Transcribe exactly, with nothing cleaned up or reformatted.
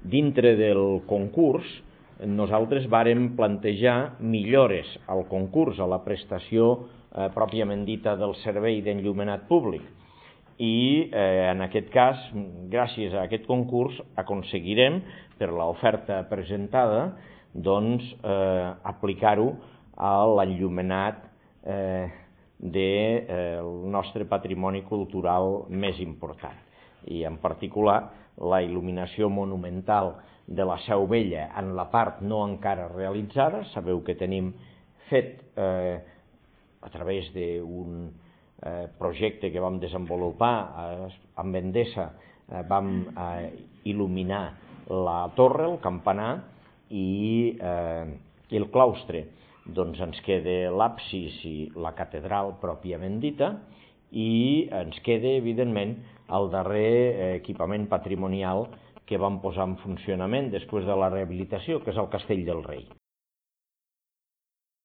dintre del concurs, nosaltres vàrem plantejar millores al concurs, a la prestació eh, pròpiament dita del servei d'enllumenat públic. I eh, en aquest cas, gràcies a aquest concurs, aconseguirem, per l'oferta presentada, doncs, eh, aplicar-ho a l'enllumenat eh, del eh, nostre patrimoni cultural més important. I en particular, la il·luminació monumental de la Seu Vella en la part no encara realitzada. Sabeu que tenim fet eh, a través d'un eh, projecte que vam desenvolupar eh, amb Endesa, eh, vam eh, il·luminar la torre, el campanar i, eh, i el claustre. Doncs ens queda l'absis i la catedral pròpiament dita, i ens queda, evidentment, el darrer equipament patrimonial que vam posar en funcionament després de la rehabilitació, que és el Castell del Rei.